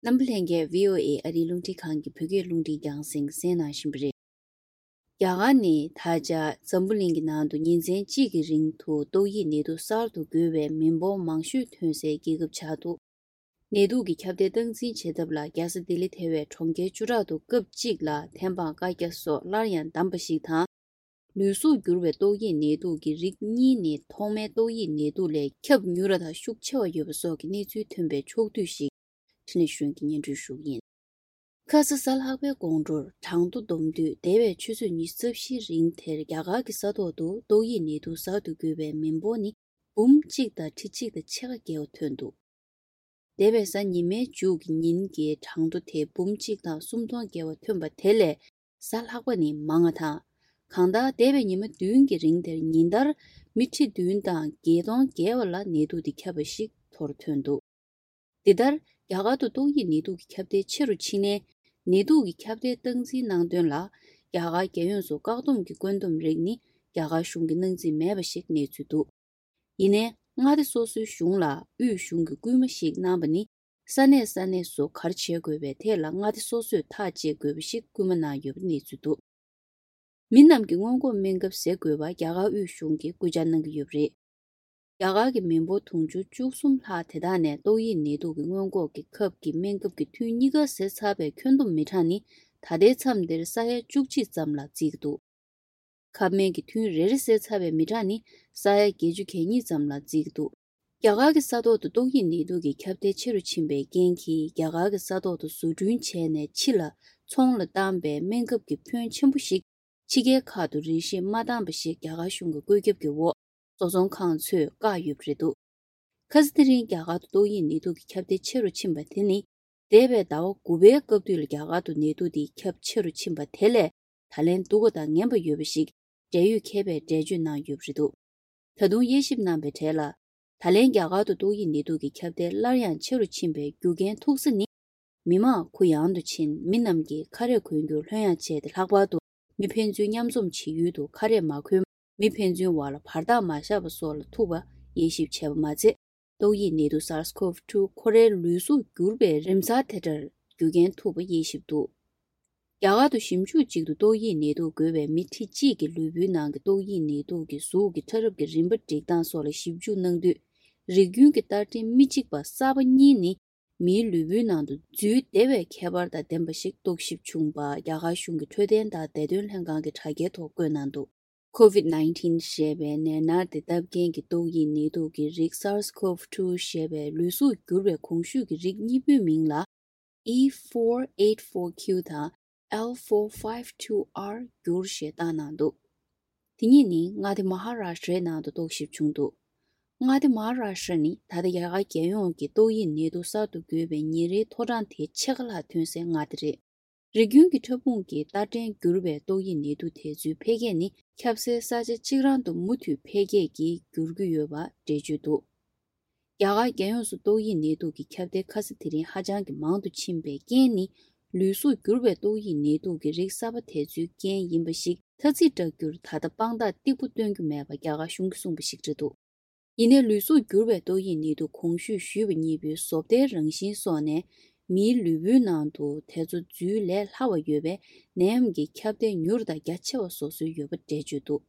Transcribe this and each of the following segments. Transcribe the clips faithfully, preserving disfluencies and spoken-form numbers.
རྣམ་པ་ལྷན་རྒྱས། བྷི་ཨོ་ཨེ་ཨ་རིའི་རླུང་འཕྲིན་ཁང་གི་བོད་སྐད་རླུང་འཕྲིན་རྒྱང་སྲིང་གསན་གནང་བཞིན་པ་རེད། རྒྱ་གར་ནི་ད་ཆ་འཛམ་བུ་གླིང་གི་ནང་དུ་ཉིན་མཚན་གཅིག་གི་རིང་དུ་ཏོག་དབྱིབས་ནད་དུག་གསར་དུ་འགོས་པའི་མི་འབོར་མང་ཤོས་ཐོན་སའི་རྒྱལ་ཁབ་ཆགས་འདུག་ནད་དུག་གི་ཁྱབ་གདལ་སྟངས་འཛིན་བྱེད་ཐབས་ལ། རྒྱལ་ས་ལྡི་ལི་ཐེ་བའི་གྲོང་ཁྱེར་བཅུ་ཕྲག་ཏུ་སྐབས་གཅིག་ལ་ཐེམ་སྤང་བཀའ་རྒྱ་སོགས་སླར་ཡང་བསྡམས་པ་ཞིག་དང་། ལུས་གཟུགས་འགྱུར་བའི་ཏོག་དབྱིབས་ནད་དུག་གི་རིགས་གཉིས་ནི་ཐོག་མའི་ཏོག་དབྱིབས་ནད་དུག་ལས་ཁྱབ་མྱུར་བ་དང་ཤུགས་ཆེ་བ་ཡོད་པ་སོགས་ཀྱི་གནས་ཚུལ་ཐོན་པའི་ཕྱོགས་བསྡུས་ཤིག་འཕྲིན་ལས་གཞོན་གྱིས་སྙན་སྒྲོན་ཞུ་གི་ཡིན། ཁ་ས་གཟའ་ལྷག་པའི་དགོང་དྲོར་གྲངས་ཐོ་བསྡོམས་དུས། འདས་པའི་ཆུ་ཚོད་ཉི་ཤུ་རྩ་བཞིའི་རིང་དེར་རྒྱ་གར་གྱི་ས་ཐོག་ཏུ་ཏོག་དབྱིབས་ནད་དུག་གསར་དུ་འགོས་པའི་མི་འབོར་ནི་འབུམ་གཅིག་དང་ཁྲི་གཅིག་དང་ཕྱེད་ཀ་བརྒལ་བ་ཐོན་འདུག་འདས་པའི་གཟའ་ཉི་མའི་མཇུག་གི་ཉིན་གྱི་གྲངས་ཐོ་དེ་འབུམ་གཅིག་དང་སུམ་སྟོང་བརྒལ་བ་ཐོན་པ་དེ་ལས་གཟའ་ལྷག་པ་ནི་མང་བ་དང་། གང་ལྟར་འདས་པའི་ཉི་མ་བདུན་གྱི་རིང་དེར་ཉིན་ལྟར་མི་ཁྲི་བདུན་དང་བརྒྱད་སྟོང་བརྒལ་བ་ལ་ནད་དུག་དེ་ཁྱབ་པ་ཞིག་ཐོར་ཐོན་འདུག་དེ་ལྟར་རྒྱ་གར་དུ་ཏོག་དབྱིབས་ནད་དུག་གི་ཁྱབ་གདལ་ཆེ་རུ་ཕྱིན་ནས། ནད་དུག་གི་ཁྱབ་གདལ་སྟངས་འཛིན་གནང་དོན་ལ། རྒྱ་གར་རྒྱལ་ཡོངས་སུ་བཀག་སྡོམ་གྱི་བཀོད་འདོམས་རིགས་ནི་རྒྱ་གར་གཞུང་གིས་གནང་རྩིས་མེད་པ་ཞིག་གནས་ཚུལ་འདུག་ཡིན་ནའི་མངའ་སྡེ་སོ་སོའི་གཞུང་ལ་དབུས་གཞུང་གིས་སྐུལ་མ་ཞིག་གནང་བ་ནི། ས་གནས་ས་གནས་སུ་ག་རེ་བྱེད་དགོས་པའི་ཐད་ལ་མངའ་སྡེ་སོ་སོས་ཐག་བཅད་དགོས་པ་ཞིག་སྐུལ་མ་གནང་ཡོད་པ་གནས་ཚུལ་འདུག་མི་རྣམས་ཀྱིས་སྔོན་འགོག་སྨན་ཁབ་བཟས་དགོས་པ་རྒྱ་གར་དབུས་གཞུང་གིས་སྐུལ་ལྕག་གནང་གི་ཡོད་པ་རེད། རྒྱ་གར་གྱི་མི་འབོར་དུང་ཕྱུར་བཅུ་གསུམ་ལྷག་དེ་དག་ནས་ཏོག་དབྱིབས་ནད་དུག་གི་སྔོན་འགོག་གི་ཁབ་ཀྱི་སྨན་ཁབ་ཀྱི་ཐུན་གཉིས་ཀ་བཟས་ཚར་བའི་ཁྱོན་བསྡོམས་མི་གྲངས་ནི་ད་ལྟའི་མཚམས་འདིར་ས་ཡ་བཅུ་གཅིག་ཙམ་ལ་བརྩིས་ཀྱི་འདུག་ཁབ་སྨན་གྱི་ཐུན་རེ་རེ་བཟས་ཚར་བའི་མི་གྲངས་ནི་ས་ཡ་བརྒྱད་ཅུ་གྱ་གཉིས་ཙམ་ལ་བརྩིས་ཀྱི་འདུག་རྒྱ་གར་གྱི་ས་ཐོག་ཏུ་ཏོག་དབྱིབས་ནད་དུག་གི་ཁྱབ་གདལ་ཆེ་རུ་ཕྱིན་པའི་རྐྱེན་གྱིས། རྒྱ་གར་གྱི་ས་ཐོག་ཏུ་བཟོ་སྐྲུན་བྱས་ནས་ཕྱི་ལ་ཚོང་ལ་བཏང་པའི་སྨན་ཁབ་ཀྱི་ཕོན་ཆེན་པོ་ཞིག་ཕྱི་རྒྱལ་ཁག་ཏུ་རིན་བཞེས་མ་བཏང་པ་ཞིག་རྒྱ་གར་གཞུང་གི་བཀོད་ཁྱབ་ཀྱི་འོག་བཟོ་ཚོང་ཁང་ཚོས་བཀག་ཡོད་པ་རེད་འདུག་ཁ་སང་དེ་རིང་རྒྱ་གར་དུ་ཏོག་དབྱིབས་ནད་དུག་གི་ཁྱབ་གདལ་ཆེ་རུ་ཕྱིན་པ་དེ་ནི། འདས་པའི་ཟླ་བ་དགུ་པའི་སྐབས་དུས་ལ་རྒྱ་གར་དུ་ནད་དུག་དེ་ཁྱབ་ཆེ་རུ་ཕྱིན་པ་དེ་ལས་ད་ལན་སྡུག་པ་དང་ངན་པ་ཡོད་པ་ཞིག་འབྲེལ་ཡོད་མཁས་པས་འགྲེལ་བརྗོད་གནང་ཡོད་པ་རེད་འདུག་ད་དུང་དབྱེ་ཞིབ་གནང་པའི་གྲས་ལ། ད་ལན་རྒྱ་གར་དུ་ཏོག་དབྱིབས་ནད་དུག་གི་ཁྱབ་གདལ་སླར་ཡང་ཆེ་རུ་ཕྱིན་པའི་རྒྱུ་རྐྱེན་ཐུག་ས་ནི། མི་མང་གུ་ཡངས་དུ་ཕྱིན། མི་རྣམས་ཀྱིས་ཁ་རས་གོན་རྒྱུར་ལྷོད་ཡངས་བྱས་ཏེ། ལྷག་པར་དུ་མི་ཕན་ཚུན་མཉམ་འཛོམས་བྱེད་ཡུལ་དུ་ཁ་རས་མ་གོན། མི་ཕན་ཚུན་བར་ལ་བར་ཐག་མ་བཞག་པ་སོགས་ལ་ཐུག་པ་དབྱེ་ཞིབ་བྱས་པ་མ་ཚད། ཏོག་དབྱིབས་ནད་དུག་SARS-CoV་two ཁོ་རའི་ལུས་གཟུགས་འགྱུར་བའི་རིམ་གསར་དེ་འདྲར་རྒྱུ་རྐྱེན་ཐུག་པ་དབྱེ་ཞིབ་འདུག་རྒྱ་གར་དུ་ཞིབ་འཇུག་ཅིག་ཏུ་ཏོག་དབྱིབས་ནད་དུག་འགོས་པའི་མི་ཁྲི་གཅིག་གི་ལུས་པོའི་ནང་གི་ཏོག་དབྱིབས་ནད་དུག་གི་གཟུགས་ཀྱི་ཕྲ་རབ་ཀྱི་རིམ་པ་སྒྲིག་སྟངས་སོགས་ལ་ཞིབ་འཇུག་གནང་དུས། རིགས་རྒྱུན་གྱི་བསྟར་ཕྲེང་མི་གཅིག་པ་གསར་པ་གཉིས་ནི་མིའི་ལུས་པོའི་ནང་དུ་འཛུལ་བདེ་བའི་ཁྱད་པར་དང་ལྡན་པ་ཞིག་རྟོག་ཞིབ་བྱུང་བ། རྒྱ་གར་གཞུང་གི་འཕྲོད་བསྟེན་དང་བདེ་དོན་ལྷན་ཁང་གི་དྲ་རྒྱའི་ཐོག་བཀོད་གནང་འདུག COVID nineteen ཞེས་པའི་ནད་མནར་དེ་བཏབ་མཁན་གྱི་ཏོག་དབྱིབས་ནད་དུག་གི་རིགས་SARS-CoV two ཞེས་པའི་ལུས་གཟུགས་འགྱུར་བའི་གོང་ཞུས་ཀྱི་རིགས་གཉིས་པོའི་མིང་ལ། E four eight four Q དང་L four five two R འགྱུར་ཞེས་བཏགས་གནང་འདུག་དེ་གཉིས་ནི་མངའ་སྡེ་མ་ཧ་ར་ཤྲའི་ནང་དུ་རྟོག་ཞིབ་བྱུང་འདུག་མངའ་སྡེ་མ་ཧ་ར་ཤྲ་ནི་ད་ལྟ་རྒྱ་གར་རྒྱལ་ཡོངས་ཀྱི་ཏོག་དབྱིབས་ནད་དུག་གསར་དུ་འགོས་པའི་ཉིན་རེའི་ཐོ་གྲངས་དེ་ཕྱེད་ཀ་ལྷག་ཐོན་སའི་མངའ་སྡེ་རེད། རིགས་རྒྱུན་གྱི་ཕྲ་ཕུང་གི་བསྟར་ཕྲེང་འགྱུར་བའི་ཏོག་དབྱིབས་ནད་དུག་དེ་ཚོའི་འཕེལ་རྒྱས་ནི་ཁྱབ་སའི་ས་ཆ་གཅིག་རང་དུ་མུ་མཐུད་འཕེལ་རྒྱས་ཀྱིས་འགྱུར་གྱི་ཡོད་པ་འགྲེལ་བརྗོད་འདུག་རྒྱ་གར་རྒྱལ་ཡོངས་སུ་ཏོག་དབྱིབས་ནད་དུག་གི་ཁྱབ་གདལ་ཁ་སང་དེ་རིང་ཧ་ཅང་གི་མང་དུ་ཕྱིན་པའི་རྐྱེན་ནི། ལུས་གཟུགས་འགྱུར་བའི་ཏོག་དབྱིབས་ནད་དུག་གི་རིགས་གསར་པ་དེ་ཚོའི་རྐྱེན་ཡིན་པ་ཞིག་ཐ་ཚིག་བསྒྲགས་རྒྱུར་ད་ལྟ་དཔང་རྟགས་གཏིང་པོ་སྟོན་རྒྱུ་མེད་པ་རྒྱ་གར་གཞུང་གིས་གསུངས་པ་ཞིག་རེད་འདུག་ཡིན་ནའི་ལུས་གཟུགས་འགྱུར་བའི་ཏོག་དབྱིབས་ནད་དུག་གོང་ཞུས་ཞུས་པ་གཉིས་པོའི་བཟོ་ལྟའི་རང་བཞིན་སོགས་ནས། མིའི་ལུས་པོའི་ནང་དུ་དེ་ཚོ་འཛུལ་ལས་སླ་བ་ཡོད་པས། ནད་ཡམས་ཀྱི་ཁྱབ་གདལ་མྱུར་དང་རྒྱ་ཆེ་བ་བཟོ་སྲོལ་ཡོད་པ་འགྲེལ་བརྗོད་འདུག་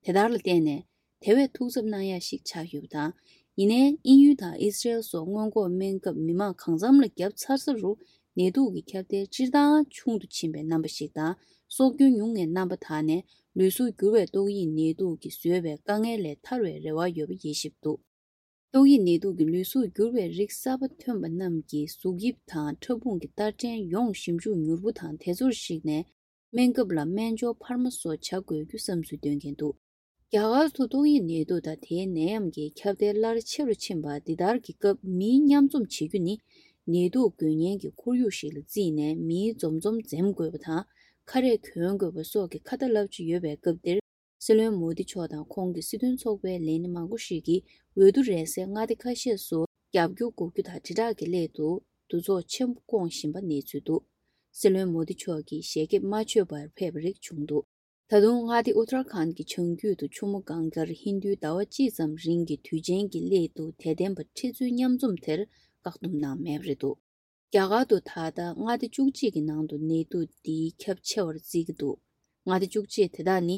དེ་ལྟར་ལ་བརྟེན་ནས། དེ་བས་ཐུགས་འཚབ་གནང་ཡ་ཞིག་ཆགས་ཡོད་པ་དང་། ཡིན་ནའི་དབྱིན་ཡུལ་དང་ཨི་སི་རེལ་སོགས་སྔོན་འགོག་སྨན་ཁབ་མི་མང་གང་འཚམ་ལ་བརྒྱབ་ཚར་ས་རུ། ནད་དུག་གི་ཁྱབ་གདལ་སྤྱིར་བཏང་ཆུང་དུ་ཕྱིན་པའི་རྣམ་པ་ཞིག་དང་། སྲོག་སྐྱོན་ཉུང་བའི་རྣམ་པ་དག་ནས། ལུས་གཟུགས་འགྱུར་བའི་ཏོག་དབྱིབས་ནད་དུག་གིས་བཟོས་པའི་དཀའ་ངལ་ལས་ཐར་བའི་རེ་བ་ཡོད་པ་དབྱེ་ཞིབ་འདུག་ཏོག་དབྱིབས་ནད་དུག་གི་ལུས་གཟུགས་འགྱུར་བའི་རིགས་གསར་པ་ཐོན་པ་རྣམས་ཀྱི་གཟུགས་དབྱིབས་དང་ཕྲ་ཕུང་གི་བསྟར་ཕྲེང་ཡོངས་ཞིབ་འཇུག་མྱུར་པོ་དང་དེ་ཚོར་གཞིགས་ནས། སྨན་ཁབ་ལ་སྨན་སྦྱོར་འཕར་མ་སོགས་བྱ་དགོས་རྒྱུ་བསམ་ཚུལ་འདོན་མཁན་འདུག་རྒྱ་གར་དུ་ཏོག་དབྱིབས་ནད་དུག་དང་དེའི་ནད་ཡམས་ཀྱི་ཁྱབ་གདལ་སླར་ཆེ་རུ་ཕྱིན་པ་འདི་ལྟར་གྱི་སྐབས། མིའི་མཉམ་འཛོམས་བྱེད་རྒྱུ་ནི་ནད་དུག་འགོས་མཁན་གྱི་ཁོར་ཡུག་ཞིག་ལ་བརྩིས་ནས། མིའི་འཛོམས་འཛོམས་འཛེམ་དགོས་པ་དང་། ཁ་རས་གྱོན་དགོས་པ་སོགས་ཀྱི་ཁ་ཏ་བསླབ་བྱ་ཡོད་པའི་སྐབས་འདིར། སྲིད་བློན་མོ་དི་མཆོག་དང་ཁོང་གི་སྲིད་དོན་ཚོགས་པའི་ལས་སྣེ་མང་པོ་ཞིག་གིས་འོས་བསྡུ་རན་སའི་མངའ་སྡེ་ཁ་ཤས་སུ་རྒྱབ་སྐྱོར་དགོས་རྒྱུ་དང་དྲིལ་བསྒྲགས་ཀྱི་སླད་དུ་འདུ་ཚོགས་ཆེན་པོ་བསྐོང་བཞིན་པ་གནས་ཚུལ་འདུག་སྲིད་བློན་མོ་དི་མཆོག་གིས་ཞལ་འགེབས་མ་མཆོད་པར་ཕེབས་པ་རིགས་བྱུང་འདུག་ད་དུང་མངའ་སྡེ་ཨུ་ཏར་ཁཱན་གྱི་བྱང་རྒྱུད་དུ་ཆུ་མོ་གངྒཱར་ཧིན་རྡུའི་ཟླ་བ་གཅིག་ཙམ་རིང་གི་དུས་ཆེན་གྱི་སླད་དུ་དད་ལྡན་པ་ཁྲི་ཚོའི་མཉམ་འཛོམས་དེར་བཀག་སྡོམ་གནང་མེད་པ་རེད་འདུག་རྒྱ་གར་དུ་ད་ལྟ་མངའ་སྡེ་བཅུ་གཅིག་གི་ནང་དུ་ནད་དུག་འདིའི་ཁྱབ་ཆེ་བར་བརྩི་གི་འདུག་མངའ་སྡེ་བཅུ་གཅིག་དེ་དག་ནི།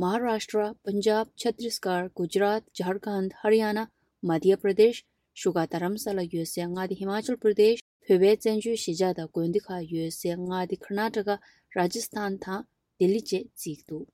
མ་ཧཱ་རཱཤ་ཏྲ། པན་ཇབ། ཆ་ཏིས་གར། གུ་ཇ་རཱཏ། ཇར་ཁནྡ། ཧ་རི་ཡ་ན། མ་དྷྱ་པྲ་དེཤ། བཞུགས་སྒར་རྡ་རམ་ས་ལ་ཡོད་སའི་མངའ་སྡེ་ཧི་མ་ཅལ་པྲ་དེཤ། བོད་པའི་བཙན་བྱོལ་གཞིས་ཆགས་དང་དགོན་སྡེ་ཁག་ཡོད་སའི་མངའ་སྡེ་ཀར་ན་ཊ་ཀ། རཱ་ཇ་སི་ཐན་དང་ལྡི་ལི་བཅས་བརྩི་གི་འདུག